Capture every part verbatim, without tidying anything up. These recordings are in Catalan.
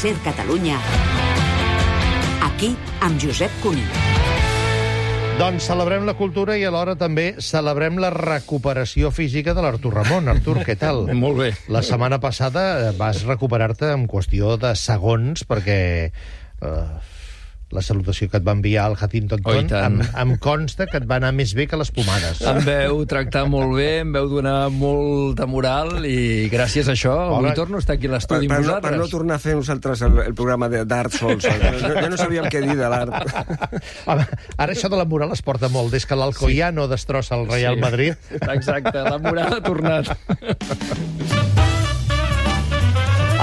Ser Catalunya. Aquí, amb Josep Cuní. Doncs celebrem la cultura i alhora també celebrem la recuperació física de l'Artur Ramon. Artur, què tal? Molt bé. La setmana passada vas recuperar-te en qüestió de segons perquè eh, la salutació que et va enviar el Huntington Oh, i tant. em, em consta que et va anar més bé que les pomades. Em veu tractar molt bé, em veu donar molta moral i gràcies a això avui Hola. torno a estar aquí a Per, l'estudi per, amb no, vosaltres. per no tornar a fer nosaltres el, el programa de- d'art sols. Jo, jo no sabíem què dir de l'art. Home, ara això de la moral es porta molt. Des que l'Alcoyano destrossa el Real Sí. Madrid. Exacte, la moral ha tornat.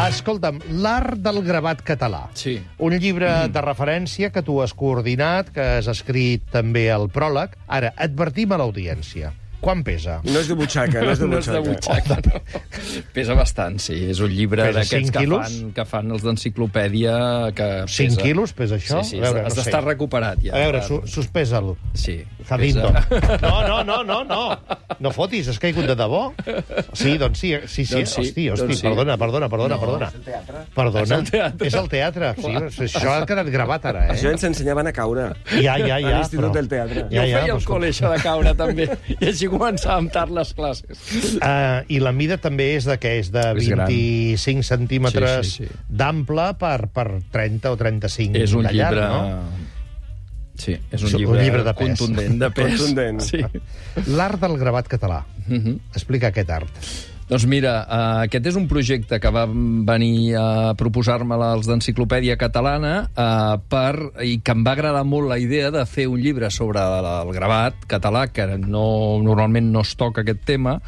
Escolta'm, l'art del gravat català. Sí. Un llibre de referència que tu has coordinat, que has escrit també el pròleg. Ara, advertim a l'audiència. Quan pesa? No és de butxaca, no és de No és de butxaca. butxaca, no. Pesa bastant, sí. És un llibre Pesa d'aquests cinc que quilos? fan, que fan els d'enciclopèdia. Que cinc pesa. quilos pesa això? Sí, sí, A veure, has no d'estar sé. recuperat ja. A veure, Per- su suspesa-el. Sí. Huntington. pesa- No, no, no, no, no. No fotis, has caigut de debò? Sí, doncs sí, sí, sí. Doncs sí, hosti, hosti, doncs sí. perdona, perdona, perdona, No. perdona. Perdona. És el teatre. És el teatre. Sí, això ha quedat gravat ara, eh? Això ens ensenyaven a caure. Ja, ja, ja. A l'Institut però- del Teatre. Jo feia però el escolta. col·le, això de caure, també. I així començàvem tard les classes. Uh, I la mida també és de què? És de És gran. vint-i-cinc centímetres Sí, sí, sí. d'ample per, per trenta o trenta-cinc És un de llarg, llibre... no? Sí, és un És un llibre, llibre de pes. contundent, de pes. Contundent. Sí. L'art del gravat català. Mhm. Explica aquest art. Doncs mira, uh, aquest és un projecte que va venir a proposar-me els d'Enciclopèdia Catalana uh, per, i que em va agradar molt la idea de fer un llibre sobre el gravat català, que no, normalment no es toca aquest tema,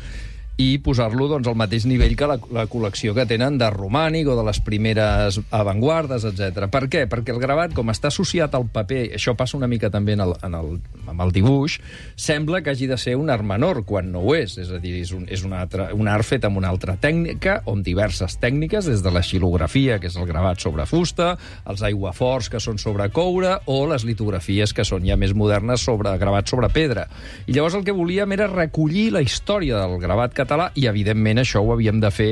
i posar-lo doncs, al mateix nivell que la, la col·lecció que tenen de romànic o de les primeres avantguardes, etcètera. Per què? Perquè el gravat, com està associat al paper, això passa una mica també en el, en el, amb el dibuix, sembla que hagi de ser un art menor, quan no ho és. És a dir, és un, és un, altre, un art fet amb una altra tècnica, o amb diverses tècniques, des de la xilografia, que és el gravat sobre fusta, els aiguaforts, que són sobre coure, o les litografies, que són ja més modernes, sobre gravat sobre pedra. I llavors el que volíem era recollir la història del gravat català català, i evidentment això ho havíem de fer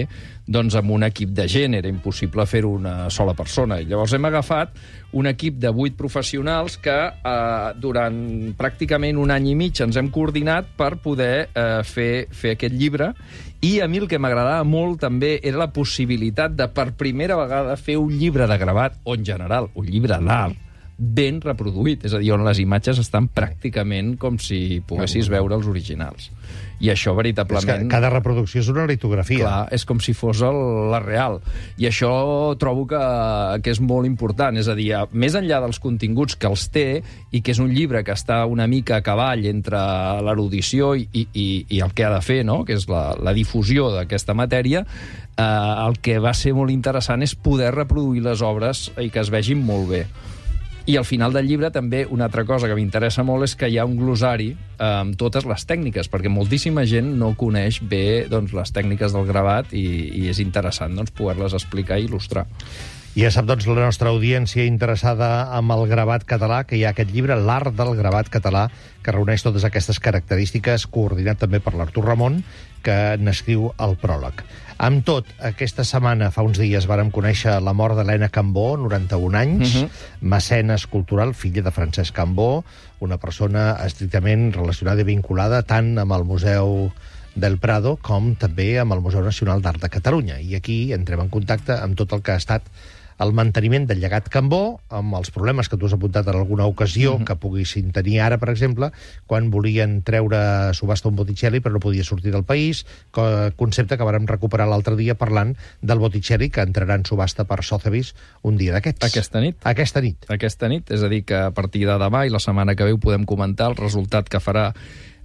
doncs, amb un equip de gent, era impossible fer-ho una sola persona. I llavors hem agafat un equip de vuit professionals que eh, durant pràcticament un any i mig ens hem coordinat per poder eh, fer, fer aquest llibre, i a mi el que m'agradava molt també era la possibilitat de per primera vegada fer un llibre de gravat, o en general un llibre d'art, ben reproduït, és a dir, on les imatges estan pràcticament com si poguessis veure els originals. I això, És veritablement... que cada reproducció és una litografia. Clar, és com si fos el, la real. I això trobo que, que és molt important. És a dir, més enllà dels continguts que els té, i que és un llibre que està una mica a cavall entre l'erudició i, i, i el que ha de fer, no? Que és la, la difusió d'aquesta matèria, eh, el que va ser molt interessant és poder reproduir les obres i que es vegin molt bé. I al final del llibre també una altra cosa que m'interessa molt és que hi ha un glossari eh, amb totes les tècniques, perquè moltíssima gent no coneix bé doncs, les tècniques del gravat, i, i és interessant doncs, poder-les explicar i il·lustrar. I ja sap, doncs, la nostra audiència interessada amb el gravat català, que hi ha aquest llibre, L'art del gravat català, que reuneix totes aquestes característiques, coordinat també per l'Artur Ramon, que n'escriu el pròleg. Amb tot, aquesta setmana, fa uns dies, vàrem conèixer la mort d'Helena Cambó, noranta-un anys, Mhm. mecenes cultural, filla de Francesc Cambó, una persona estrictament relacionada i vinculada tant amb el Museu del Prado com també amb el Museu Nacional d'Art de Catalunya. I aquí entrem en contacte amb tot el que ha estat el manteniment del llegat Cambó, amb els problemes que tu has apuntat en alguna ocasió, mm-hmm. que poguessin tenir ara, per exemple, quan volien treure a subhasta un Botticelli però no podia sortir del país, concepte que vàrem recuperar l'altre dia parlant del Botticelli que entrarà en subhasta per Sotheby's un dia d'aquests. Aquesta nit. Aquesta nit. Aquesta nit, és a dir, que a partir de demà i la setmana que ve ho podem comentar, el resultat que farà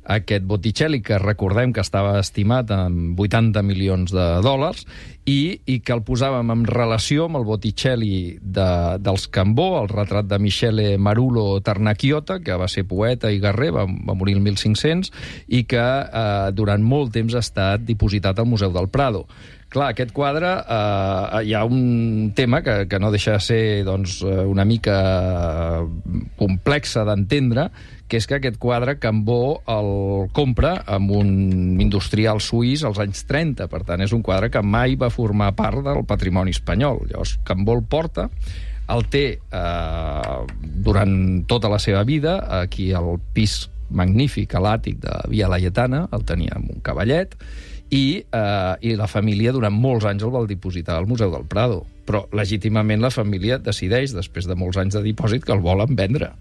aquest Botticelli, que recordem que estava estimat en vuitanta milions de dòlars, i, i que el posàvem en relació amb el Botticelli de, dels Cambó, el retrat de Michele Marulo Ternacchiota, que va ser poeta i guerrer, va, va morir el mil cinc-cents, i que eh, durant molt temps ha estat dipositat al Museu del Prado. Clar, aquest quadre, eh, hi ha un tema que, que no deixa de ser doncs, una mica complexa d'entendre, que és que aquest quadre Cambó el compra amb un industrial suís als anys trenta. Per tant, és un quadre que mai va formar part del patrimoni espanyol. Llavors, Cambó el porta, el té eh, durant tota la seva vida, aquí al pis magnífic, a l'àtic de Via Laietana, el tenia amb un cavallet, i, eh, i la família durant molts anys el va dipositar al Museu del Prado. Però legítimament la família decideix, després de molts anys de dipòsit, que el volen vendre.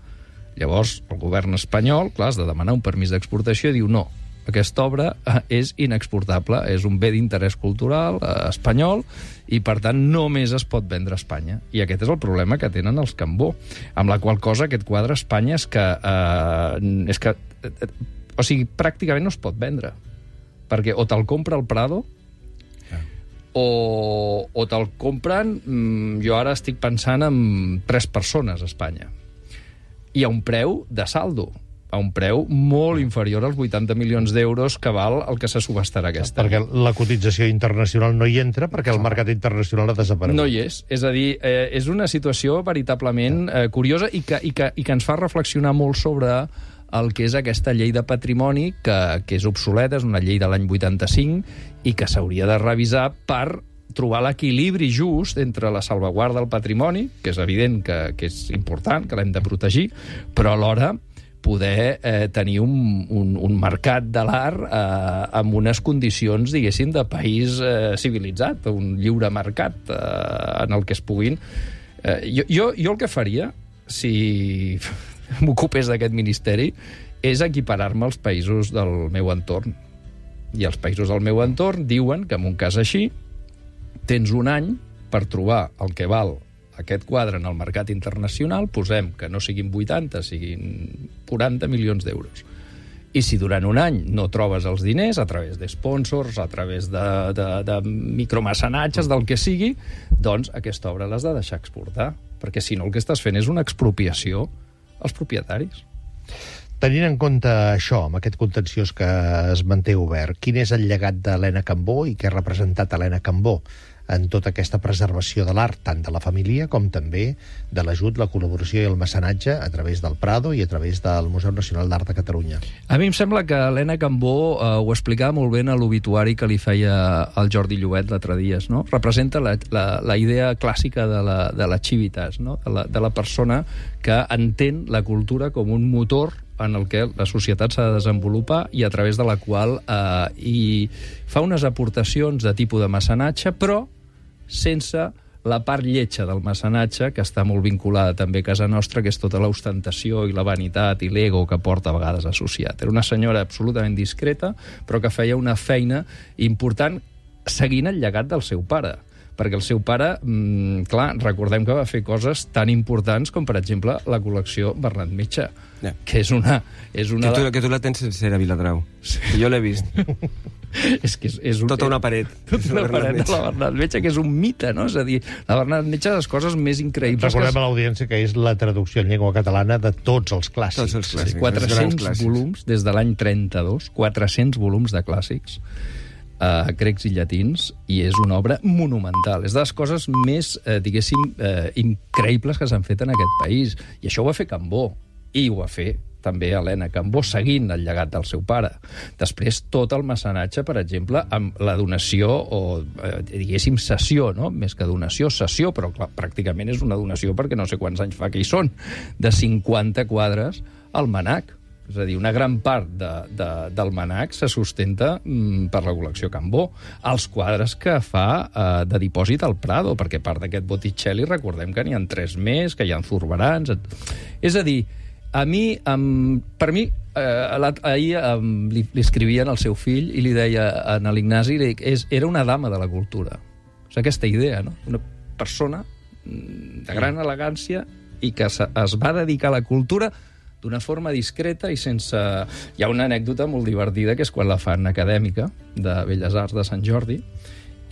Llavors, el govern espanyol, clar, has de demanar un permís d'exportació i diu no, aquesta obra és inexportable, és un bé d'interès cultural eh, espanyol i, per tant, només es pot vendre a Espanya. I aquest és el problema que tenen els Cambó, amb la qual cosa aquest quadre a Espanya és que... Eh, és que eh, o sigui, pràcticament no es pot vendre, perquè o te'l compra el Prado o, o te'l compren... Mm, jo ara estic pensant en tres persones a Espanya, i a un preu de saldo, a un preu molt inferior als vuitanta milions d'euros que val el que se subestarà aquest any. Perquè la cotització internacional no hi entra, perquè el mercat internacional ha desaparegut. No hi és. És a dir, eh, és una situació veritablement eh, curiosa i que, i, que, i que ens fa reflexionar molt sobre el que és aquesta llei de patrimoni, que, que és obsoleta, és una llei de l'any vuitanta-cinc, i que s'hauria de revisar per trobar l'equilibri just entre la salvaguarda del patrimoni, que és evident que, que és important, que l'hem de protegir, però alhora poder eh, tenir un, un, un mercat de l'art eh, amb unes condicions, diguéssim, de país eh, civilitzat, un lliure mercat eh, en el que es puguin... Eh, jo, jo, jo el que faria, si m'ocupés d'aquest ministeri, és equiparar-me als països del meu entorn. I els països del meu entorn diuen que en un cas així tens un any per trobar el que val aquest quadre en el mercat internacional, posem que no siguin vuitanta, siguin quaranta milions d'euros. I si durant un any no trobes els diners, a través de sponsors, a través de, de, de micromecenatges, del que sigui, doncs aquesta obra l'has de deixar exportar, perquè si no el que estàs fent és una expropiació als propietaris. Tenint en compte això, amb aquest contenciós que es manté obert, quin és el llegat d'Helena Cambó i què ha representat Helena Cambó en tota aquesta preservació de l'art, tant de la família com també de l'ajut, la col·laboració i el mecenatge a través del Prado i a través del Museu Nacional d'Art de Catalunya? A mi em sembla que Helena Cambó eh, ho explicava molt bé en l'obituari que li feia el Jordi Llobet l'altre dia, no? Representa la, la, la idea clàssica de la, de la civitas, no? de, la, de la persona que entén la cultura com un motor en el que la societat s'ha de desenvolupar i a través de la qual eh, hi fa unes aportacions de tipus de mecenatge, però sense la part lletja del mecenatge, que està molt vinculada també a casa nostra, que és tota l'ostentació i la vanitat i l'ego que porta a vegades associat. Era una senyora absolutament discreta, però que feia una feina important seguint el llegat del seu pare. Perquè el seu pare, mmm, clar, recordem que va fer coses tan importants com, per exemple, la col·lecció Bernat Metge, ja. que és una... És una que, tu, de... que tu la tens sencera, Viladrau. Sí. Jo l'he vist. és que és, és un... Tota una paret. Tota una paret de la Bernat Metge, que és un mite, no? És a dir, la Bernat Metge és les coses més increïbles... Recordem que... a l'audiència que és la traducció en llengua catalana de tots els clàssics. Tots els clàssics. Sí, quatre-cents volums, des de l'any trenta-dos, quatre-cents volums de clàssics, Uh, grecs i llatins, i és una obra monumental. És de les coses més, eh, diguéssim, eh, increïbles que s'han fet en aquest país. I això ho va fer Cambó, i ho va fer també Helena Cambó, seguint el llegat del seu pare. Després, tot el mecenatge, per exemple, amb la donació, o eh, diguéssim, cessió, no? Més que donació, cessió, però clar, pràcticament és una donació perquè no sé quants anys fa que hi són, de cinquanta quadres al Manac. És a dir, una gran part de, de, del Manac se sustenta mm, per la col·lecció Cambó. Els quadres que fa eh, de dipòsit al Prado, perquè part d'aquest Botticelli, recordem que n'hi ha tres més, que hi ha Zurbarans... És a dir, a mi, um, per mi, eh, ahir um, li, li escrivien al seu fill i li deia a l'Ignasi, és, era una dama de la cultura. És aquesta idea, no? Una persona de gran elegància i que es, es va dedicar a la cultura d'una forma discreta i sense... Hi ha una anècdota molt divertida, que és quan la fan acadèmica de Belles Arts de Sant Jordi,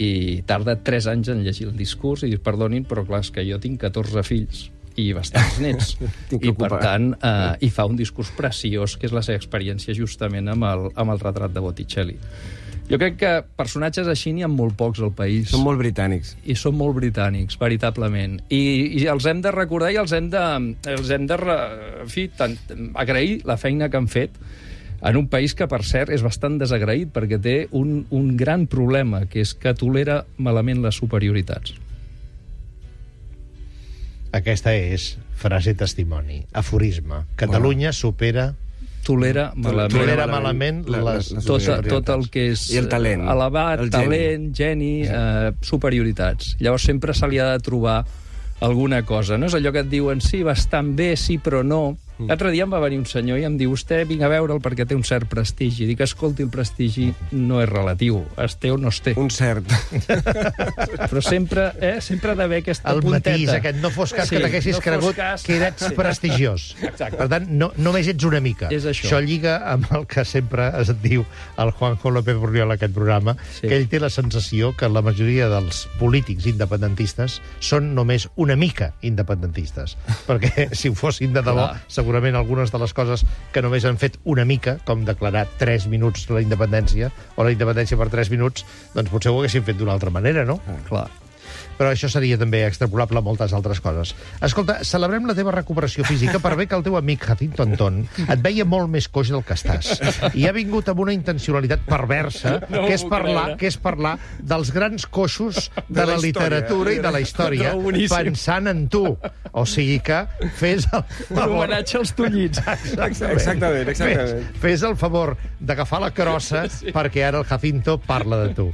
i tarda tres anys en llegir el discurs i dir, perdonin, però clar, és que jo tinc catorze fills i bastants nets. I, per tant, eh, hi fa un discurs preciós, que és la seva experiència justament amb el, amb el retrat de Botticelli. Jo crec que personatges així n'hi ha molt pocs al país. Són molt britànics. I són molt britànics, veritablement. I, i els hem de recordar i els hem de, els hem de re, en fi, tant, agrair la feina que han fet en un país que, per cert, és bastant desagraït perquè té un, un gran problema, que és que tolera malament les superioritats. Aquesta és frase testimoni, aforisme. Catalunya supera... Tolera malament, tolera malament les, les, les tot, tot el que és I el talent, elevat, el talent, geni, sí. eh, superioritats. Llavors sempre se li ha de trobar alguna cosa. No és allò que et diuen, sí, bastant bé, sí, però no. L'altre dia em va venir un senyor i em diu, vostè vinc a veure'l perquè té un cert prestigi. Dic, escolti, el prestigi no és relatiu. Es té o no es té. Un cert. Però sempre, eh, sempre ha d'haver aquesta el punteta. El matís aquest, no fos cas sí, que t'haguessis no cregut cas... que eres sí. prestigiós. Exacte. Per tant, no, només ets una mica. És això. Això lliga amb el que sempre es diu el Juanjo López Borriol a aquest programa, sí. que ell té la sensació que la majoria dels polítics independentistes són només una mica independentistes. Perquè si ho fossin de debò, Clar. segurament algunes de les coses que només han fet una mica, com declarar tres minuts la independència, o la independència per tres minuts, doncs potser ho haguessin fet d'una altra manera, no? Ah, clar. Però això seria també extrapolable a moltes altres coses. Escolta, celebrem la teva recuperació física per bé que el teu amic Jacinto Antón et veia molt més coix del que estàs. I ha vingut amb una intencionalitat perversa, no que, és parlar, que és parlar dels grans coixos de, de la, la literatura i de la història, no, pensant en tu. O sigui que fes el favor... Un homenatge als tullits. Exactament. Exactament, exactament. Fes, fes el favor d'agafar la crossa sí. perquè ara el Jacinto parla de tu.